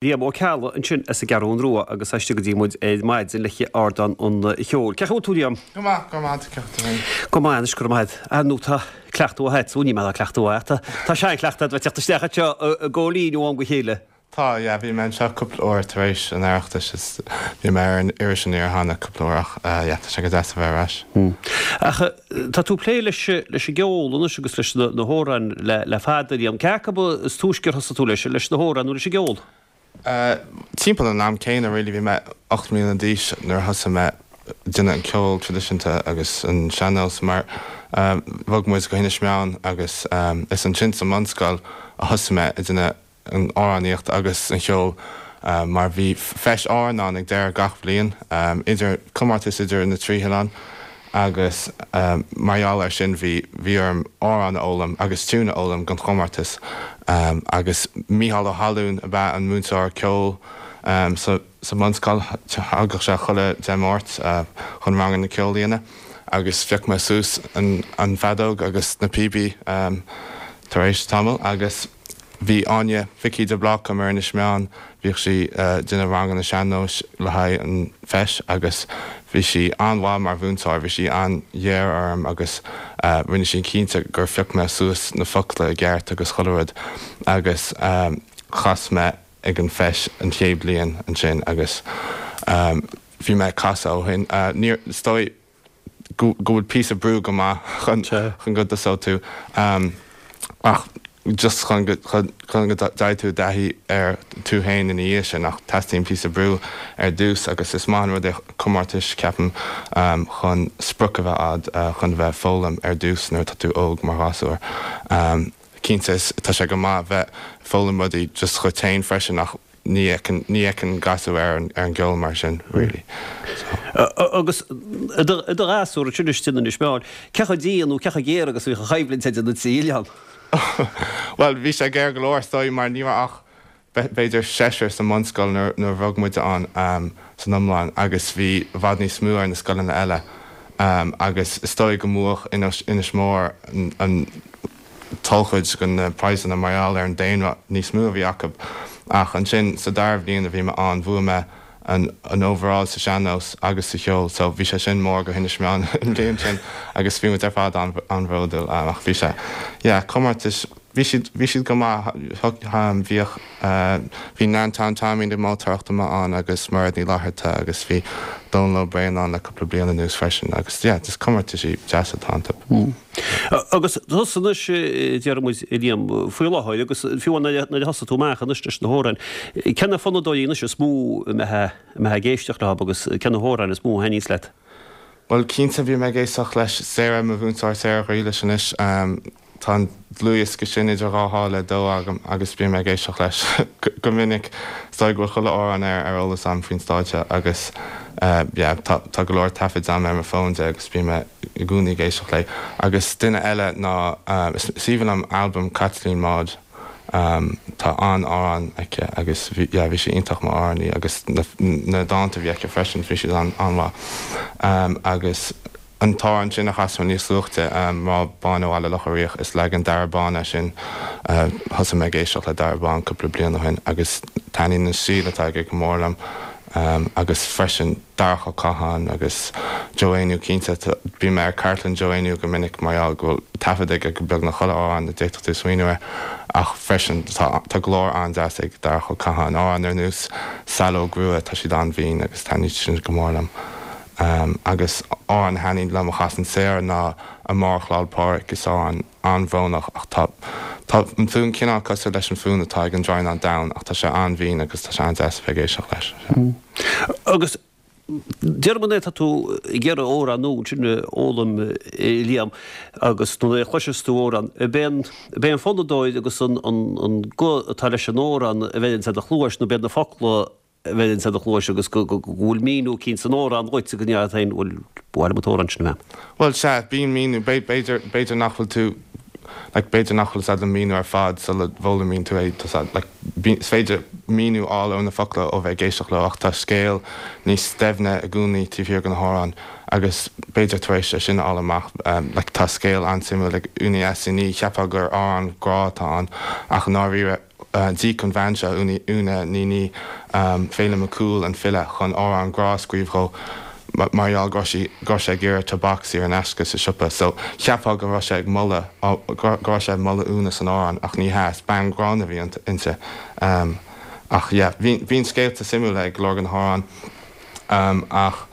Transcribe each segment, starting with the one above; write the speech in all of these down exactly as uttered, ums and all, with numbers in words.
Liam Ó Ceallaigh ansin as an gCeathrú Rua agus istigh go dtí muid ar maidin le Ardán an Cheoil. Cén chaoi a bhfuil tú, Liam? Go maith, go maith, ceacht féin. Go maith anois, go raibh maith agat. Nó tá cleachtadh agat, ní maith cleachtadh agat. Tá seanchleachtadh agat bheith teacht isteach anseo i gCóilín ó am go chéile. Tá, yeah, bhí mé anseo cúpla uair tar éis an Oireachtais is bhí mé ar an Iris Aniar cheana cúpla uair ach yeah, tá sé go deas a bheith ar ais. Ach tá tú plé leis leis an gceol anois agus leis na hamhráin le le fada, Liam. Cé acu is túisce ar thosaigh tú leis, leis na hamhráin nó leis an gceol? Uh, timpeall an am céanna really bhí mé ocht mbliana d'aois nuair a thosaigh mé déanamh an ceol traidisiúnta agus an sean-nós mar um, bhog muid go hInis Meáin agus um, is ansin sa mbunscoil a thosaigh mé ag déanamh an amhránaíocht agus an cheol uh, mar bhí feis Árann ann ag deireadh gach bliain um, idir comórtas idir na trí hoileán agus um, mar gheall air sin bhí bhí orm amhrán a fhoghlaim agus tiún a fhoghlaim don chomórtas um, agus Mícheál Ó hAllún ab ea an múinteoir ceoil um, sa sa mbunscoil thagadh sé chuile Dé Máirt uh, chun ranganna ceoil a dhéanamh agus phioc mé suas an, an fheadóg agus na píobaí um, tar éis tamall agus bhí Áine Vicky de Bláca mar Inis Meáin bhíodh sí uh, déanamh ranganna sean-nóis le haghaidh an feis agus bhí sí an-mhaith mar mhúinteoir, bhí sí an-ghéar orm agus uh, rinne sí cinnte gur phioc mé suas na focla i gceart agus chuile rud agus um, chas mé ag an feis an chéad bliain ansin agus um, bhí mé casadh ó shin. Uh, níor stoi go go bhfuil píosa brú go maith chun chun go dtosódh tú um, ach just chun go chun chun go dtí tú taithí ar tú féin ina dhiaidh sin ach teastaíonn píosa brú ar dtús agus is maith an rud é comórtais ceapaim um, chun sprioc a bheith agat uh, chun bheith foghlaim ar dtús nuair atá tú óg mar ghasúr. Um, Cinnte tá sé go maith bheith foghlaim rudaí just chugat féin freisin ach ní fheiceann ní fheiceann gasúr ar an ar an gceol mar sin really. So. Agus i do ghasúr sin istigh in Inis Meáin, cé chomh dian nó cé chomh géar agus bhí an choimhlint idir na trí oileán. Well bhí sé géar go leor stoi mar ní ach b'fhéidir seisear sa mbunscoil nuair nuair a bhog muid ann um, san iomlán agus bhí i bhfad níos mó ar na scoileanna eile um, agus is dóigh go mbuaigh Inis, Inis Mór an, an tolchuid go na praghsanna mar gheall ar an daonra níos mó a bhí acu ach ansin sa dara bhliain a bhí mé ann bhuaigh mé an, an overall sa sean-nós agus sa cheol, so bhí sé sin mór go hInis Meáin an bhliain sin agus bhí muid ar fad an an-bhródúil um, ach bhí sé yeah, comórtais bhí siad bhí siad go maith um, bhíodh uh, bhí Neantóin Taimín na moltóireachta ann agus Mairéad Ní Fhlatharta agus bhí Dónal Ó Braonáin ann le cúpla bliain anuas freisin agus yeah, just comórtais deasa atá iontu. Mm. Agus tusa anois deir muid Liam faoi láthair agus fiú nuair a thosaigh tú amach anois leis na hamhráin. Cé na fonnadóirí anois is mó a mbeifeá ag éisteacht leo agus cé na hamhráin is mó a thaitníos leat. Well cinnte bhí mé ag éisteacht leis Sarah mo mhúinteoir Sarah Ghriallais anois um, tá an dlúthdhiosca sin idir dhá sháile dó agam agus bím ag éisteacht leis go minic stoi go chuile amhrán ar ar eolas agam faoin stáitse agus uh, yeah, tá, tá go leor taifid agam ar mo fón de agus bím i gcónaí ag éisteacht léi. Agus duine eile ná uh, is aoibhinn liom album Caitlín Maude um, tá an-amhráin aici agus bhí yeah, bhí sí iontach mar amhránaí agus na, na dánta a bhí aici freisin bhí siad an an-mhaith. Um, agus an t-amhrán sin a chas níos luaithe um, Mná Bána Bhaile Locha Riach is leagan Dara Bán é sin uh, thosaigh mé ag éisteacht le Dara Bán cúpla bliain ó shin agus taitníonn an stíl atá aige go mór liom um, agus freisin Darach Ó Catháin agus Joe Éinniú cinnte bím ar cartlann Joe Éinniú go minic mar go bhfuil taifead aige go beagnach chuile amhrán a d'fhéadfadh tú smaoineamh air ach freisin tá, tá glór an-deas ag Darach Ó Catháin amhrán ar nós Saileog Rua tá siad an-bhinn agus taitníonn sin go mór liom. Um, agus amhrán a thaitníonn liom a chasann Sarah ná Amárach Lá 'le Pádraig is amhrán an-bhrónach ach tá Tá an fonn cineál cosúil leis an fonn atá ag an Droighneán Donn ach tá sé an-bhinn agus tá sé an-deas bheith ag éisteacht leis. Mm. Agus Dearman tá tú ag iarraidh amhrán nua sin a fhoghlaim Liam agus nuair a chloiseas tú amhrán b'é b'é an fonnadóir agus an an an guth atá leis an amhrán a bheidh sa do chluais nó b'iad na focla a bheidh sa do chluais agus go bhfuil míniú éicint san amhrán dhuit go féin bhfuil bhil an t-amhrán sin mé. Well sea bíonn míniú b'fhéidir b'fhéidir nach bhfuil tú like b'fhéidir nach bhfuil an míniú ar fad sula bhfoghlaimíonn tú é like is féidir míniú a fháil ó na focla ó bheith ag éisteacht leo ach tá scéal níos doimhne i gcónaí taobh thiar den amhrán agus b'fhéidir tar éis é sin a fháil amach um, like tá scéal an-suimiúil ag Úna Ní cheapfá gur amhrán grá atá ann ach i ndáiríre D'íoc an bhean seo, Úna Ní Ní, Féilim Mac Cumhaill, an file, chun amhrán grá a scríobh dhó mar gheall go raibh sí, go raibh sé ag iarraidh tobac saor in aisce sa siopa. So, cheapfá go raibh sé ag moladh, go raibh sé ag moladh Úna san amhrán ach ní hea, is bean ghránna a bhí inti. Ach yeah, bíonn scéalta suimiúla ag go leor de na hamhráin ach.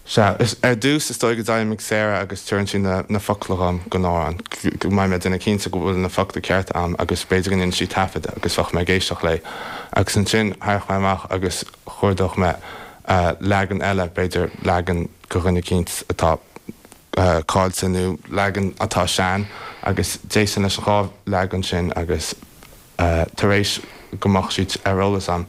Sea, ar dtús is dóigh go dtéim ag Sarah agus tabharann sí na focla dhom don amhrán, go mbeidh mé ag déanamh cinnte go bhfuil na focla cearta a'm agus b'fhéidir go ndéanann sí taifead agus bheadh mé ag éisteacht léi. Agus ansin théadh mé amach agus chuardódh mé leagan eile, b'fhéidir leagan go dhuine eicínt atá caillte nó leagan atá sean agus d'éistfinn leis an dhá leagan sin agus tar éis go mbeadh siad ar eolas a'm,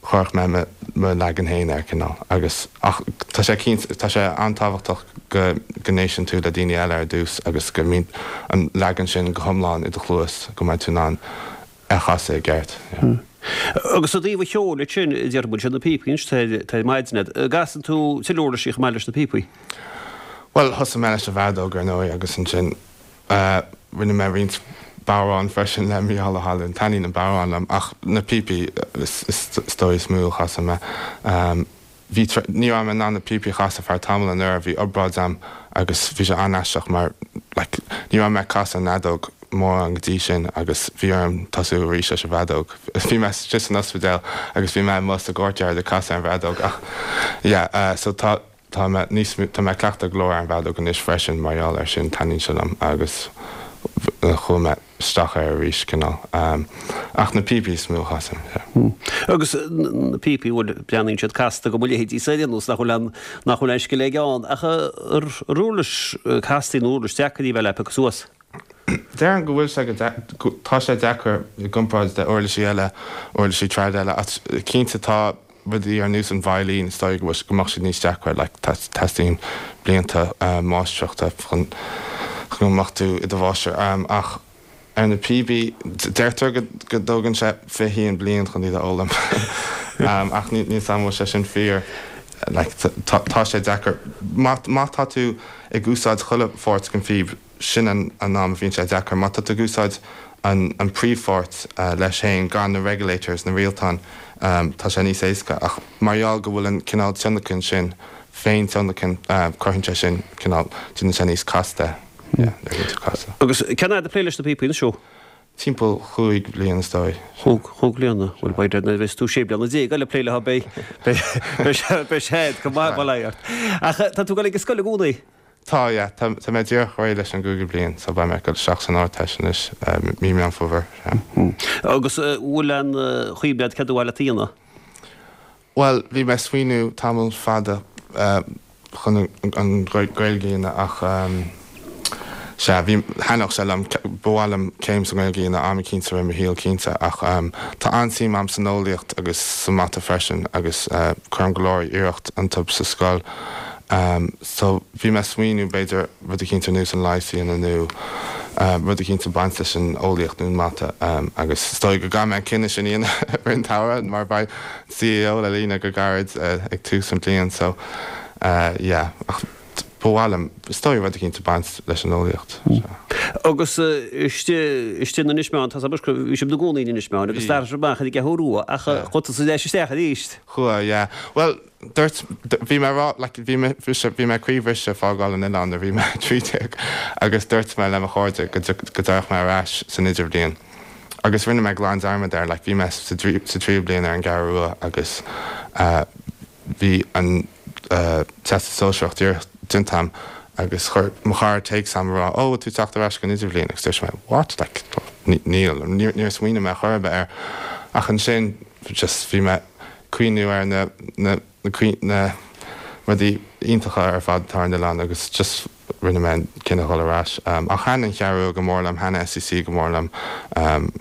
chuirfeadh mé mo leagan féin air, cineál, agus, ach tá sé cinnte, tá sé an-tábhachtach go go n-éisteann tú le daoine eile ar dtús agus go mbíonn an leagan sin go hiomlán i do chluas, go mbeidh tú in ann é a chasadh i gceart, yeah. Agus i dtaobh an cheoil ansin, déarfaidh muid, na píopaí anois, tá ar maidin agat. An gcasann tú tuilleadh uirlisí chomh maith leis na píopaí? Bhuel, thosaigh mé leis an bhfeadóg, ar ndóigh, agus ansin, Rinne mé roinnt bodhrán freisin le Mícheál Ó hAlmhain. Taitníonn an bodhrán liom ach na píopaí is dóigh is mó a chasann mé. Bhí, ní raibh mé in ann na píopaí a chasadh feadh tamaill anuraidh, bhí obráid a'm agus bhí sé an-aisteach mar like ní raibh mé ag casadh an fheadóg mórán go dtí sin agus bhí orm tosú arís leis an bhfeadóg. Bhí mé istigh san ospidéal agus bhí mé amuigh sa gcourtyard ag casadh ar an bhfeadóg ach yeah so tá Tá mé níos, tá mé ag cleachtadh go leor ar an bhfeadóg anois freisin mar gheall air sin, taitníonn sé liom agus chuaigh mé isteach air arís, cineál. Ach na píopaí is mó a chasaim, yeah. Agus na píopaí, bhuel, breathnaíonn siad casta do mo leithéidí-sa ar aon nós, nach bhfuil aon, nach bhfuil aon scil aige ann. Ach ar uirlis casta nó uirlis deacair í a bheith le piocadh suas? Déarfainn go bhfuil sé go, tá sé deacair i gcomparáid le uirlisí eile, uirlisí trad eile, ach cinnte tá rudaí ar nós an veidhlín, is dóigh go bhfuil, go mbeadh siad níos deacra, like teastaíonn blianta máistreachta chun go mbeadh tú i do mháistir. Ach ar na píobaí, deirtear go go dtógann sé fiche haon bliain chun iad a fhoghlaim. Ach níl 'fhios a'm an bhfuil sé sin fíor, like tá tá sé deacair. Má má tá tú ag úsáid chuile pháirt den phíb, sin an am a bhíonn sé deacair. Má tá tú ag úsáid an príomhpháirt leis féin gan na regulators, na rialtáin, tá sé níos éasca. Ach mar gheall go bhfuil an cineál tionlacan sin, féin tionlacan, cuireann sé sin cineál, déanann sé níos casta, yeah, nuair a bhíonn tú ag casadh. Agus cén fhad ag plé leis na píopaí anois ó? Timpeall chúig bhliain is dóigh. Chúig, chúig bliana. Bhuel, b'fhéidir nuair a bheas tú sé bliana déag eile ag plé leo beidh, beidh, beidh sé, beidh sé go maith, bail ó Dhia ort. Ach tá tú ag dul ag an scoil i gcónaí? Tá, yeah. Tá, tá mé díreach réidh leis an gcúigiú bliain, so beidh mé ag dul isteach san Ardteist anois, mí Meán Fómhair, yeah. Agus bhfuil aon chuimhne agat céard ba mhaith leat a dhéanamh? Bhuel, bhí mé ag smaoineamh tamall fada chun an Ghaeilge a dhéanamh ach sea, bhí, thaitneodh sé liom, ba mhaith liom céim sa nGaeilge a dhéanamh am eicínt i rith mo shaoil cinnte ach tá an-suim a'm san eolaíocht agus sa mata freisin agus cuirim go leor iarracht iontu sa scoil. So bhí mé ag smaoineamh b'fhéidir rud eicínt ar nós an leigheas a dhéanamh nó rud eicínt ag baint leis an eolaíocht nó an mata agus is dóigh go gcaithfidh mé an cinneadh sin a dhéanamh i rith an tsamhraidh mar beidh CAO le líonadh go gairid ag tús an bhliain so yeah ach ba mhaith liom is dóigh rud eicínt ag baint leis an eolaíocht sea. Agus istigh istigh in Inis Meáin tá 's agam bhí sibh ina gcónaí in Inis Meáin agus d'athraigh sibh amach ar an gCeathrú Rua ach chuaigh tusa ar ais isteach arís. Chuaigh yeah bhuel Dúirt, bhí mé ag rá, like, bhí mé, bhí mé croíbhriste fágáil an oileáin nuair a bhí mé a trí déag agus dúirt mé le mo chairde go go dtiocfadh mé ar ais san idirbhliain agus rinne mé glan dearmad air, like, bhí mé sa sa tríú bliain ar an gCeathrú Rua agus eh bhí an eh Teastas Sóisearach díreach déanta a'm agus chuir mo chara téacs a'm ag rá, oh, bhfuil tú ag teacht ar ais don idirbhliain agus dúirt mé, what, like, níl, níor smaoinigh mé chor ar bith air ach ansin just bhí mé cuimhniú ar na na na rudaí iontacha ar fad atá ar an oileán agus just rinne mé an cinneadh dhul ar ais. Ach thaitin an Cheathrú Rua go mór liom, thaitin SCC go mór liom,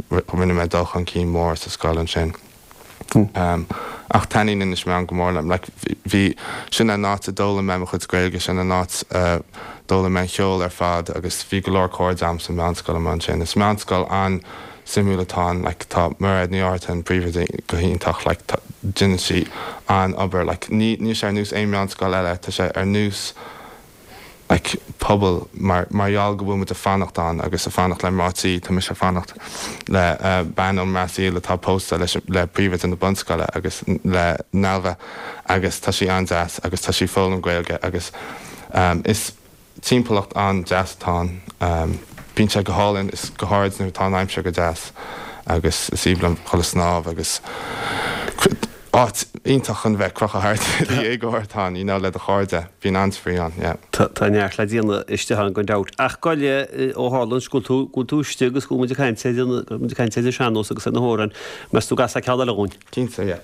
rinne mé dul chun cinn mór sa scoil ansin. Ach taitníonn Inis Meáin go mór liom, like bhí, sin an áit a d'fhoghlaim mé mo chuid Gaeilge, sin an áit a d'fhoghlaim mé an cheol ar fad agus bhí go leor cairde a'm sa mheánscoil amuigh ansin. Is meánscoil an. suimiúil atá ann like tá Mairéad Ní Fhátharta an príomhoide go hiontach like tá déanann sí an-obair like ní níl sé ar nós aon meánscoil eile tá sé ar nós like pobal mar mar gheall go bhfuil muid ag fanacht ann agus ag fanacht le mná tí tá mise ag fanacht le uh, bean ón mBrasaíl atá pósta leis le príomhoide na bunscoile agus le Nelva agus tá sí an-deas agus tá sí ag foghlaim Gaeilge agus um, is timpeallacht an-deas atá ann um, bíonn sé go hálainn is go háirid nuair atá an aimsir go deas agus is aoibhinn liom dul ag snámh agus áit iontach chun bheith crochadh thart dhéagóir atá you know, le do chairde bíonn an-spraoi ann yeah. Tá neart le déanamh istigh ann gan dabht. Ach goile ó tharla go bhfuil tú go bhfuil tú istigh agus go bhfuil muid ag caint ar an- go bhfuil muid ag caint ar an sean-nós agus ar na hamhráin, meas tú an gcasfá ceann eile dhúinn. Cinnte yeah.